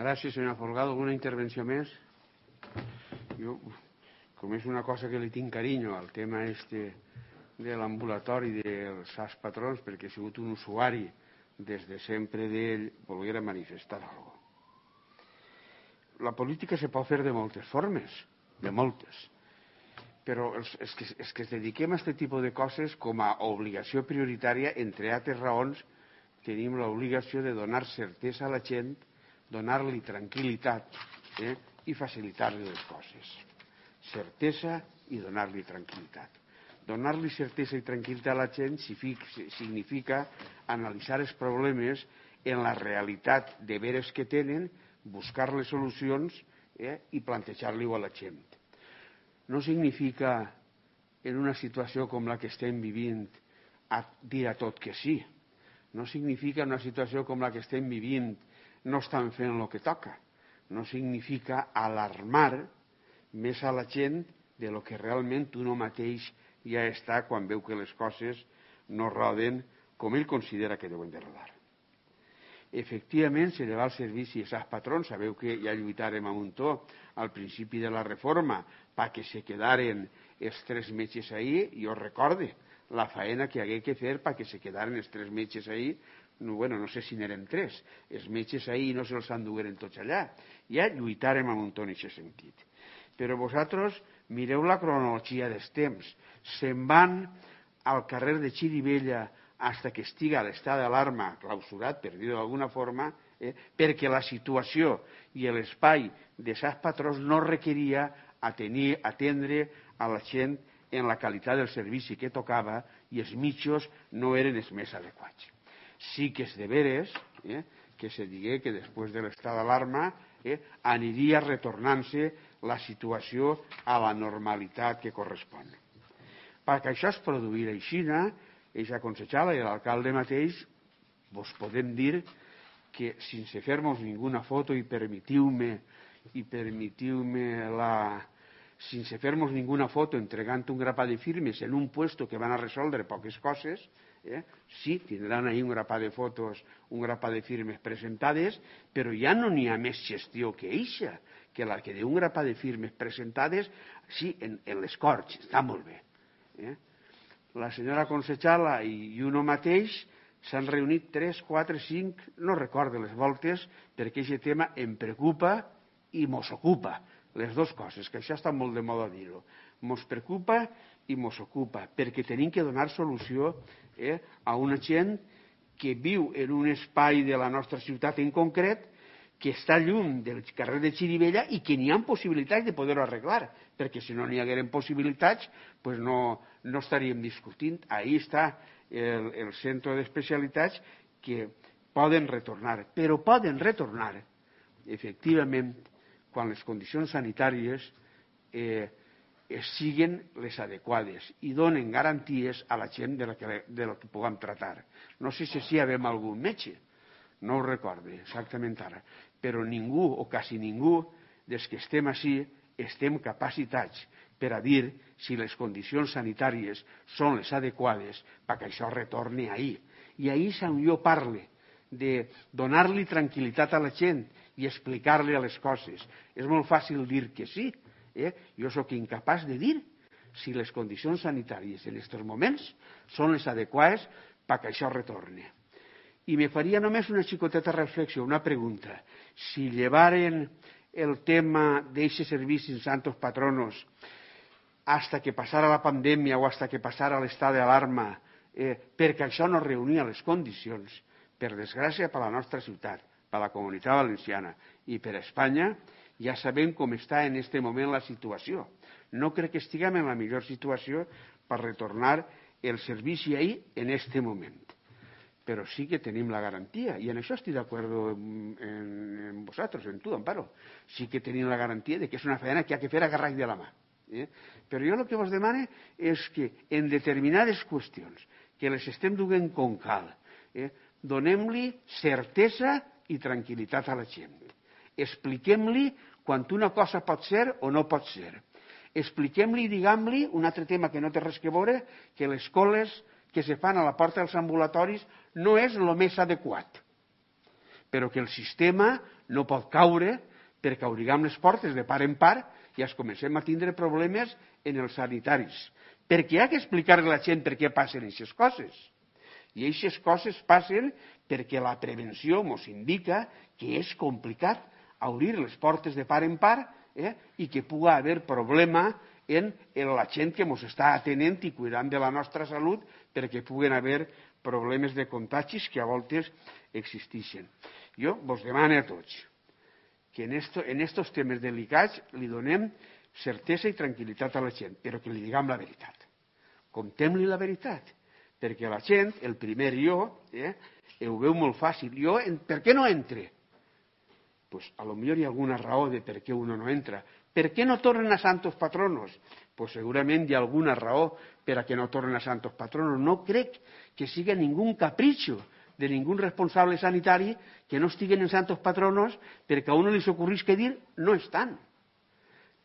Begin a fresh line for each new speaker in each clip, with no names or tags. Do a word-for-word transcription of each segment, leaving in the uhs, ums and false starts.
Gràcies, senyora Folgado. Alguna intervenció més? Jo, com és una cosa que li tinc carinyo al tema este de l'ambulatori dels S A S Patrons, perquè he sigut un usuari des de sempre d'ell, volguera manifestar alguna cosa. La política se pot fer de moltes formes, de moltes, però els, els, que, els que es dediquem a aquest tipus de coses com a obligació prioritària, entre altres raons, tenim l'obligació de donar certesa a la gent, donar-li tranquil·litat eh, i facilitar-li les coses. Certesa i donar-li tranquil·litat. Donar-li certesa i tranquil·litat a la gent significa analitzar els problemes en la realitat de veres que tenen, buscar les solucions eh, i plantejar-li-ho a la gent. No significa, en una situació com la que estem vivint, a dir a tot que sí. No significa, en una situació com la que estem vivint, no estan fent el que toca. No significa alarmar més a la gent de lo que realment uno mateix ja està quan veu que les coses no roden com ell considera que deuen de rodar. Efectivament, s'eleva el servici a S A S Patrons. Sabeu que ja lluitàrem a muntó al principi de la reforma perquè se quedaren els tres metges ahí. Jo recorde la faena que hagué que fer perquè se quedaren els tres metges ahí. No, bueno, no sé si n'eren tres. Els metges ahí no se'ls endugueren tots allà. Ja lluitàrem a muntó en aquest sentit. Però vosaltres mireu la cronologia dels temps. Se'n van al carrer de Xirivella fins que estiga l'estat d'alarma clausurat, per dir-ho d'alguna forma, eh, perquè la situació i l'espai de S A S Patrons no requeria atenir, atendre a la gent en la qualitat del servici que tocava i els mitjos no eren els més adequats. Sí que és de veres eh, que se digué que després de l'estat d'alarma eh, aniria retornant-se la situació a la normalitat que correspon. Perquè això es produirà així, eixa Concejala i l'alcalde mateix vos podem dir que sense fer-nos ninguna foto i permetiu-me i permetiu-me la sense fer-nos ninguna foto entregant un grapat de firmes en un puesto que van a resoldre poques coses, eh? Sí, tindran ahí un grapat de fotos, un grapat de firmes presentades, però ja no n'hi ha més gestió que eixa, que la que d'un grapat de firmes presentades, sí, en, en les Corts, està molt bé. Eh? La senyora Concejala i uno mateix s'han reunit tres, quatre, cinc, no recordo les voltes, perquè aquest tema em preocupa i mos ocupa. Les dues coses, que això està molt de moda dir-ho. Mos preocupa i mos ocupa, perquè tenim que donar solució eh, a una gent que viu en un espai de la nostra ciutat en concret, que està lluny del carrer de Xirivella i que n'hi ha possibilitats de poder-ho arreglar, perquè si no n'hi hagueren possibilitats, pues no, no estaríem discutint. Ahí està el, el centre d'especialitats que poden retornar, però poden retornar, efectivament, quan les condicions sanitàries eh, siguin les adequades i donen garanties a la gent de la que, de la que puguem tratar. No sé si hi havem algun metge, no ho recorde exactament ara, però ningú o quasi ningú dels que estem així estem capacitats per a dir si les condicions sanitàries són les adequades perquè això retorni ahir. I ahir és on jo parle de donar-li tranquil·litat a la gent i explicar-li les coses. És molt fàcil dir que sí. Eh? Jo sóc incapaç de dir si les condicions sanitàries en aquests moments són les adequades perquè això retorni. I me faria només una xicoteta reflexió, una pregunta. Si llevaren el tema d'eixe servici en Santos Patronos hasta que passara la pandèmia o hasta que passara l'estat d'alarma, eh, perquè això no reunia les condicions, per desgràcia per la nostra ciutat, per la Comunitat Valenciana i per Espanya, ja sabem com està en aquest moment la situació. No crec que estiguem en la millor situació per retornar el servici ahir en aquest moment. Però sí que tenim la garantia, i en això estic d'acord en, en vosaltres, en tu, Amparo. Sí que tenim la garantia de que és una feina que ha de fer agarrat de la mà. Eh? Però jo el que vos demane és que en determinades qüestions que les estem duent com cal, eh, donem-li certesa i tranquil·litat a la gent. Expliquem-li quan una cosa pot ser o no pot ser. Expliquem-li i diguem-li, un altre tema que no té res que veure, que les coles que se fan a la porta dels ambulatoris no és el més adequat. però que el sistema no pot caure perquè obriguem les portes de part en part i es comencem a tindre problemes en els sanitaris. Perquè hi ha que explicar a la gent per què passen aquestes coses. I aquestes coses passen perquè la prevenció ens indica que és complicat obrir les portes de part en part eh, i que pugui haver problema en, en la gent que ens està atenent i cuidant de la nostra salut perquè puguen haver problemes de contagis que a voltes existeixen. Jo vos demano a tots que en estos en estos temes delicats li donem certesa i tranquil·litat a la gent, però que li diguem la veritat. Contem-li la veritat, perquè la gent, el primer jo, eh, ho veu molt fàcil. Jo, per què no entre? Pues a lo millor hi ha alguna raó de per què uno no entra. Per què no tornen a Santos Patronos? Pues segurament hi ha alguna raó per a que no tornen a Santos Patronos. No crec que siga ningú capritxo de ningú responsable sanitari que no estiguen en Santos Patronos perquè a uno li s'ocorrisca dir no estan.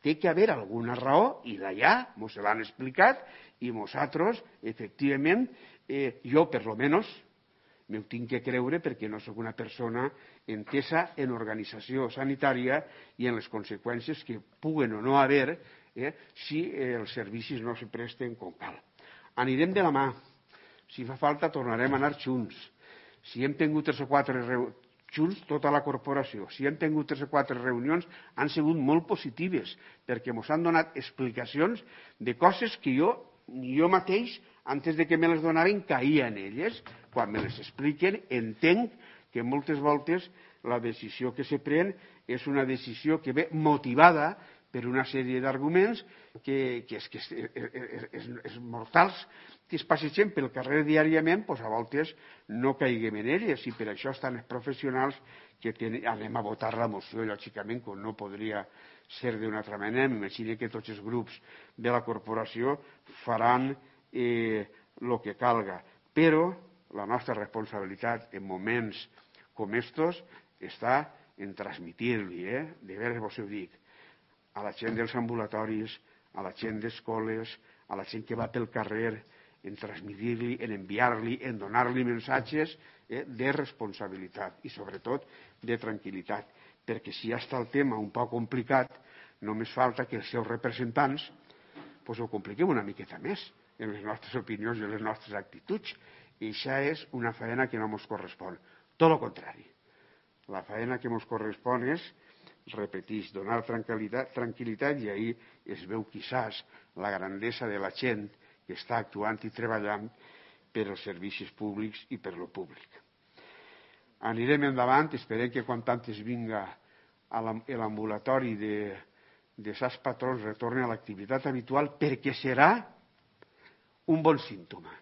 Té que haver alguna raó i d'allà mos l'han explicat i nosaltres, efectivament, eh, jo per lo menos m'ho tinc que creure perquè no sóc una persona entesa en organització sanitària i en les conseqüències que puguen o no haver eh, si eh, els servicis no se presten com cal. Anirem de la mà. Si fa falta tornarem a anar junts. Si hem tingut tres o quatre reunions junts, tota la corporació, si hem tingut tres o quatre reunions, han sigut molt positives perquè ens han donat explicacions de coses que jo, ni jo mateix, antes de que me les donaven, caïa en elles. Quan me les expliquen, entenc que moltes voltes la decisió que se pren és una decisió que ve motivada per una sèrie d'arguments que, que, és, que és, és, és, és mortals, que es passegen pel carrer diàriament, doncs a voltes no caiguem en elles, i per això estan els professionals que ten, anem a votar la moció, lògicament, com no podria ser d'una altra manera. M'imagino que tots els grups de la corporació faran eh, el que calga. Però la nostra responsabilitat en moments com estos està en transmitir-li, eh? de veres vos ho dic, a la gent dels ambulatoris, a la gent d'escoles, a la gent que va pel carrer, en transmitir-li, en enviar-li, en donar-li missatges eh, de responsabilitat i sobretot de tranquil·litat, perquè si ja està el tema un poc complicat, només falta que els seus representants pues, ho compliquem una miqueta més en les nostres opinions i en les nostres actituds. I això és una feina que no ens correspon. Tot el contrari. La feina que ens correspon és, repetís, donar tranquil·litat, tranquil·litat i ahir es veu quizás la grandesa de la gent que està actuant i treballant per als servicis públics i per lo públic. Anirem endavant, esperem que quan tantes vinga l'ambulatori de, de Sants Patrons retorni a l'activitat habitual, perquè serà un bon símptoma.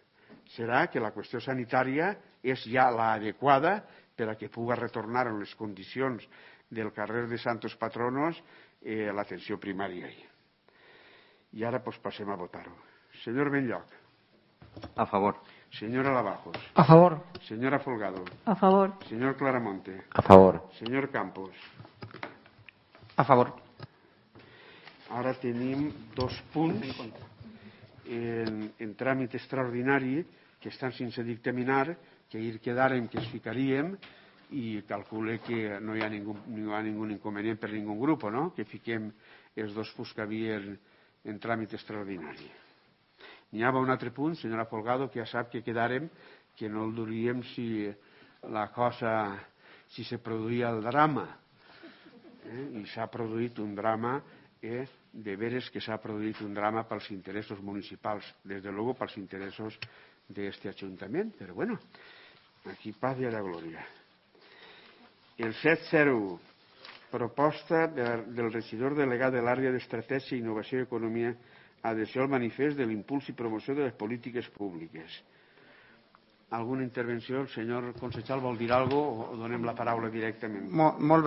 Serà que la qüestió sanitària és ja l'adequada per a que pugui retornar en les condicions del carrer de Santos Patronos eh, l'atenció primària. I ara pues, passem a votar-ho. Senyor Benlloc.
A favor.
Señora Lavajos.
A favor.
Señora Folgado.
A favor.
Señor Claramonte.
A favor.
Señor Campos.
A favor.
Ara tenim dos punts en, en tràmit extraordinari que estan sense dictaminar, que ahir quedàrem que es ficaríem i calcule que no hi ha ningú, no hi ha ningú inconvenient per ningú grup, no? Que fiquem els dos punts que havia en, en tràmit extraordinari. N'hi ha un altre punt, senyora Folgado, que ja sap que quedàrem que no el duríem si la cosa, si se produïa el drama. Eh? I s'ha produït un drama, eh? de veres que s'ha produït un drama pels interessos municipals, des de luego pels interessos d'este Ajuntament, però bueno, aquí paz y a la gloria. El set zero u, proposta del regidor delegat de l'àrea d'Estratègia, Innovació i Economia, adhesió al manifest de l'impuls i promoció de les polítiques públiques. Alguna intervenció? El senyor Consejal vol dir alguna cosa o donem la paraula directament?
Molt, molt